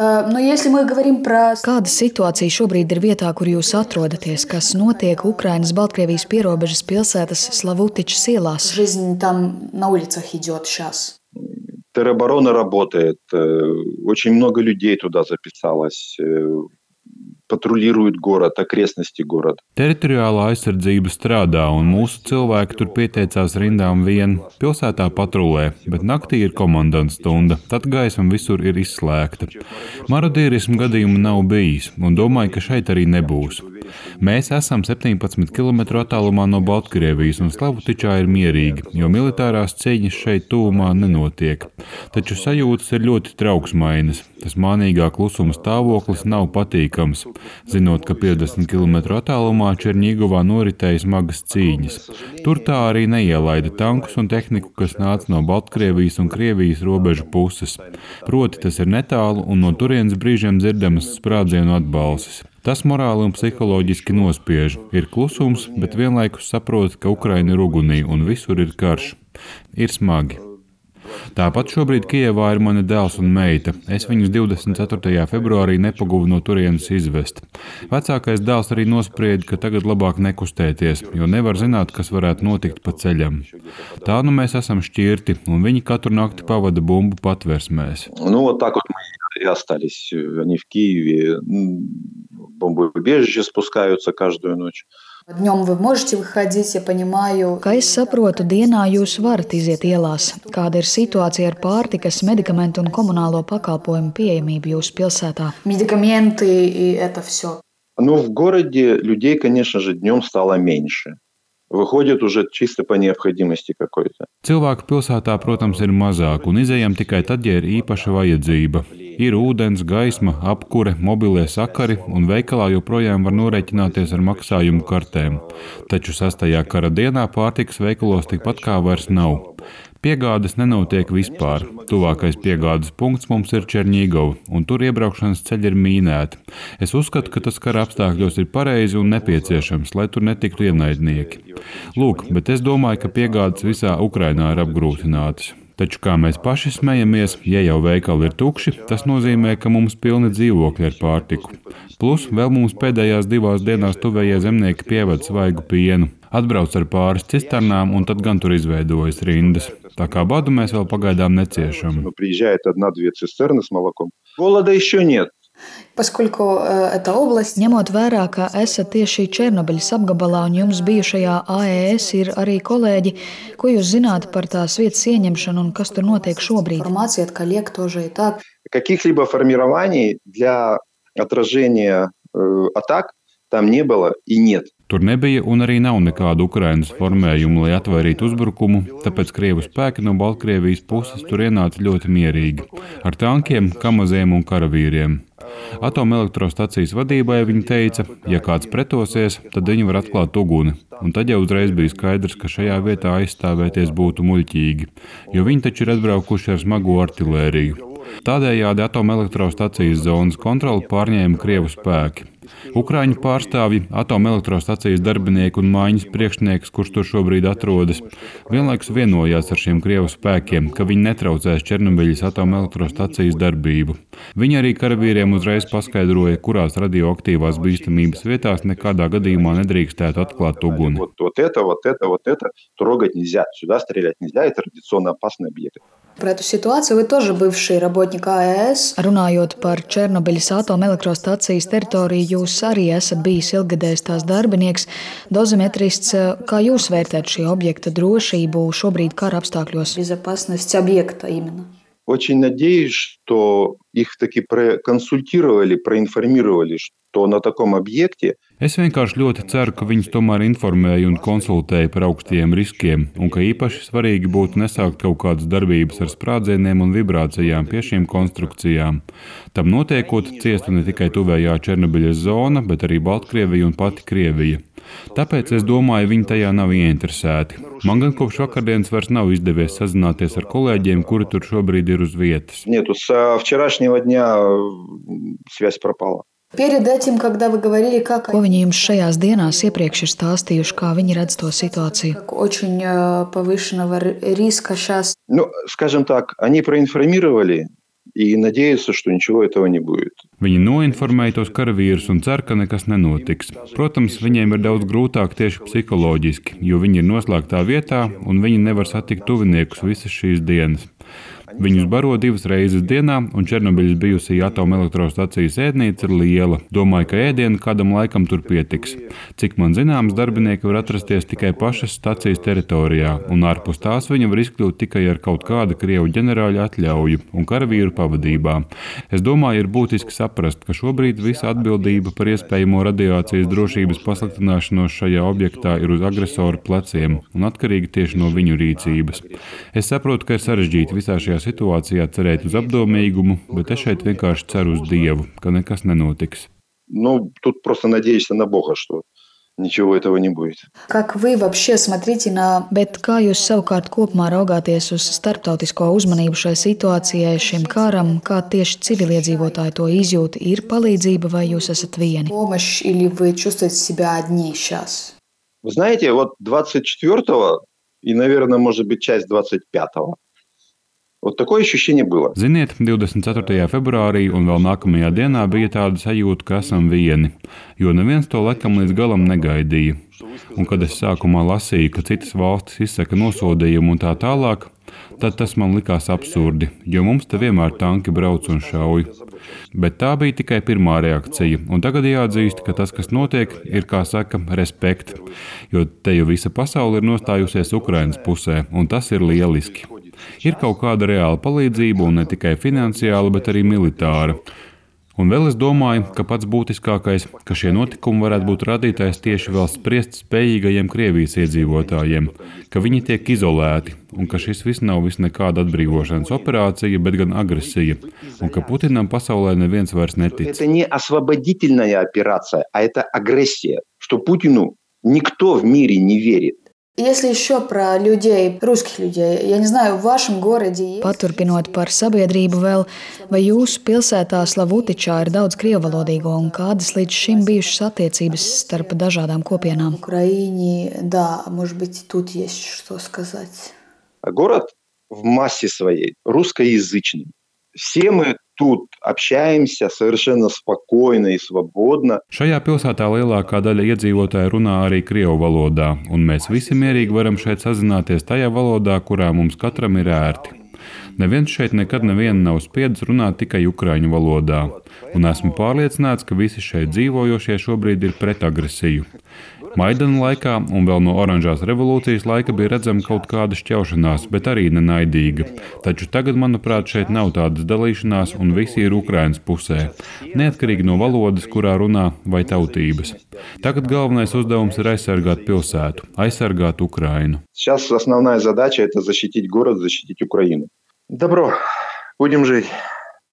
Kāda situācija šobrīd ir vietā, kur jūs atrodaties? Kas notiek Ukrainas-Baltkrievijas pierobežas pilsētas Slavutičas ielās? Тероборона работает, очень много людей туда записалось, патрулируют город, окрестности города. Teritoriālā aizsardzība strādā, un mūsu cilvēki tur pieteicās rindām vien. Pilsētā patrulē, bet naktī ir komandanta stunda, tad gaisma visur ir izslēgta. Marodierismu gadījumu nav bijis, un domāju, ka šeit arī nebūs. Mēs esam 17 km attālumā no Baltkrievijas, un Slavutičā ir mierīgi, jo militārās cīņas šeit tuvumā nenotiek. Taču sajūtas ir ļoti trauksmainas. Tas mānīgā klusuma stāvoklis nav patīkams, zinot, ka 50 km attālumā Čerņigovā noritēja smagas cīņas. Tur tā arī neielaida tankus un tehniku, kas nāca no Baltkrievijas un Krievijas robežu puses. Proti tas ir netālu un no turienes brīžiem dzirdamas sprādzienu atbalses. Tas morāli un psiholoģiski nospiež. Ir klusums, bet vienlaikus saprot, ka Ukraina ir ugunī un visur ir karš. Ir smagi. Tāpat šobrīd Kijevā ir mani dēls un meita. Es viņus 24. februārī nepaguvu no turienes izvest. Vecākais dēls arī nosprieda, ka tagad labāk nekustēties, jo nevar zināt, kas varētu notikt pa ceļam. Tā nu mēs esam šķirti, un viņi katru nakti pavada bumbu patversmēs. Вот так вот мы и остались. Они в Киеве. Бомбоубежище спускаются каждую ночь. Kā es saprotu, dienā jūs varat iziet ielās. Kāda ir situācija ar pārtikas, medikamentu un komunālo pakalpojumu pieejamību jūsu pilsētā? В городе людей, конечно же, днем стало меньше. Выходит уже чисто по необходимости какой-то. Cilvēku pilsētā, protams, ir mazāk, un izejam tikai tad, ja ir īpaša vajadzība. Ir ūdens, gaisma, apkure, mobilie sakari, un veikalā joprojām var norēķināties ar maksājumu kartēm. Taču 6. kara dienā pārtikas veikalos tikpat kā vairs nav. Piegādes nenotiek vispār. Tuvākais piegādes punkts mums ir Čerņigova, un tur iebraukšanas ceļi ir mīnēti. Es uzskatu, ka tas kara apstākļos ir pareizi un nepieciešams, lai tur netiktu ienaidnieki. Lūk, bet es domāju, ka piegādes visā Ukrainā ir apgrūtinātas. Taču, kā mēs paši smejamies, ja jau veikali ir tukši, tas nozīmē, ka mums pilni dzīvokļi ar pārtiku. Plus, vēl mums pēdējās 2 dienās tuvējie zemnieki pieved svaigu pienu. Atbrauc ar pāris cisternām, un tad gan tur izveidojas rindas. Tā kā badu mēs vēl pagaidām neciešam. Приезжает 1-2 цистерны с молоком. Голода еще нет. Ņemot vērā, ka esat tieši Černobiļas apgabalā un jums bijušajā AES ir arī kolēģi, ko jūs zināt par tās vietas ieņemšanu un kas tur notiek šobrīd? Каких-либо формирований для отражения атак там не было и нет. Tur nebija un arī nav nekādu Ukrainas formējumu, lai atvairītu uzbrukumu, tāpēc Krievu spēki no Baltkrievijas puses tur ienāca ļoti mierīgi, ar tankiem, kamaziem un karavīriem. Atomelektrostacijas vadībai viņi teica, ja kāds pretosies, tad viņi var atklāt uguni, un tad jau uzreiz bija skaidrs, ka šajā vietā aizstāvēties būtu muļķīgi, jo viņi taču ir atbraukuši ar smago artilēriju. Tādējādi atomelektrostacijas zonas kontroli pārņēma Krievu spēki. Ukraiņu pārstāvji, atomelektrostacijas darbinieki un mājiņas priekšnieks, kurš tur šobrīd atrodas, vienlaikus vienojās ar šiem Krievu spēkiem, ka viņi netraucēs Černobiļas atomelektrostacijas darbību. Viņi arī karavīriem uzreiz paskaidroja, kurās radioaktīvās bīstamības vietās nekādā gadījumā nedrīkstētu atklāt uguni. Вот это трогать нельзя, сюда стрелять нельзя, это радиационно опасный объект. Runājot par Černobiļas atomelektrostacijas teritoriju, jūs arī esat bijis ilggadējs tās darbinieks, dozimetrists. Kā jūs vērtējat šī objekta drošību šobrīd kara apstākļos? Очень надеюсь, что их таки проконсультировали, проинформировали, что на таком объекте. Es vienkārši ļoti ceru, ka viņus tomēr informēja un konsultēja par augstajiem riskiem, un ka īpaši svarīgi būtu nesākt kaut kādas darbības ar sprādzieniem un vibrācijām pie šīm konstrukcijām. Tam notiekot, ciestu ne tikai tuvējā Černobiļas zona, bet arī Baltkrievija un pati Krievija. Tāpēc es domāju, viņi tajā nav ieinteresēti. Man gan kopš vakardienas vairs nav izdevies sazināties ar kolēģiem, kuri tur šobrīd ir uz vietas. Нету, с вчерашнего дня связь пропала. Ko viņi jums šajās dienās iepriekš ir stāstījuši, kā viņi redz to situāciju? Скажем так, они проинформировали и надеются, что ничего этого не будет. Viņi noinformēja tos karavīrus un cer, ka nekas nenotiks. Protams, viņiem ir daudz grūtāk tieši psiholoģiski, jo viņi ir noslēgtā vietā un viņi nevar satikt tuviniekus visas šīs dienas. Viņus baro 2 reizes dienā, un Černobiļas bijusī atomelektrostacijas ēdnīca ir liela. Domāju, ka ēdienu kādam laikam tur pietiks. Cik man zināms, darbinieki var atrasties tikai pašas stacijas teritorijā, un ārpus tās viņi var izkļūt tikai ar kaut kāda krievu ģenerāļa atļauju un karavīru pavadībā. Es domāju, ir būtiski saprast, ka šobrīd visa atbildība par iespējamo radiācijas drošības pasliktināšanos šajā objektā ir uz agresoru pleciem un atkarīga tieši no viņu rīcības. Es saprotu, ka ir sarežģīti visā šajā situācijā cerēt uz apdomīgumu, bet es šeit vienkārši ceru uz Dievu, ka nekas nenotiks. Тут просто надеешься на Бога, что ничего этого не будет. Как вы вообще смотрите на... Bet kā jūs savukārt kopumā raugāties uz starptautisko uzmanību šai situācijai, šim karam, kā tieši civiliedzīvotāji to izjūt, ir palīdzība vai jūs esat vieni? Помощь или вы чувствуете себя одни сейчас? Вы знаете, вот 24-го и, наверное, может быть, часть 25-го. Вот такое ощущение было. Ziniet, 24. februārī un vēl nākamajā dienā bija tāda sajūta, ka esam vieni, jo neviens to laikam līdz galam negaidīja. Un kad es sākumā lasīju, ka citas valstis izsaka nosodījumu un tā tālāk, tad tas man likās absurdi, jo mums te vienmēr tanki brauc un šauj. Bet tā bija tikai pirmā reakcija, un tagad jāatzīst, ka tas, kas notiek, ir, kā saka, respekt, jo te jau visa pasaule ir nostājusies Ukrainas pusē, un tas ir lieliski. Ir kaut kāda reāla palīdzība, un ne tikai finansiāla, bet arī militāra. Un vēl es domāju, ka pats būtiskākais, ka šie notikumi varētu būt radītājs tieši vēl spriest spējīgajiem Krievijas iedzīvotājiem, ka viņi tiek izolēti, un ka šis viss nav nekāda atbrīvošanas operācija, bet gan agresija, un ka Putinam pasaulē neviens vairs netic. Это не освободительная операция, а это агрессия, что Путину никто в мире не верит. Если еще про людей, rусских людей, я не знаю, в вашем городе есть... Paturpinot par sabiedrību vēl, vai jūsu pilsētā Slavutičā ir daudz krievalodīgo un kādas līdz šim bijušas attiecības starp dažādām kopienām? В Украине, да, может быть, тут есть что сказать. Город в массе своей русскоязычный. Все мы тут общаемся совершенно спокойно и свободно. Šajā pilsētā lielākā daļa iedzīvotāju runā arī krievu valodā, un mēs visi mierīgi varam šeit sazināties tajā valodā, kurā mums katram ir ērti. Neviens šeit nekad nevienu nav spiedis runāt tikai ukraiņu valodā, un esmu pārliecināts, ka visi šeit dzīvojošie šobrīd ir pret agresiju. Maidana laikā un vēl no oranžās revolūcijas laika bija redzama kaut kāda šķaušanās, bet arī nenaidīga. Taču tagad, manuprāt, šeit nav tādas dalīšanās un visi ir Ukrainas pusē, neatkarīgi no valodas, kurā runā vai tautības. Tagad galvenais uzdevums ir aizsargāt pilsētu, aizsargāt Ukrainu. Сейчас основная задача – это защитить город, защитить Украину. Добро, будем жить.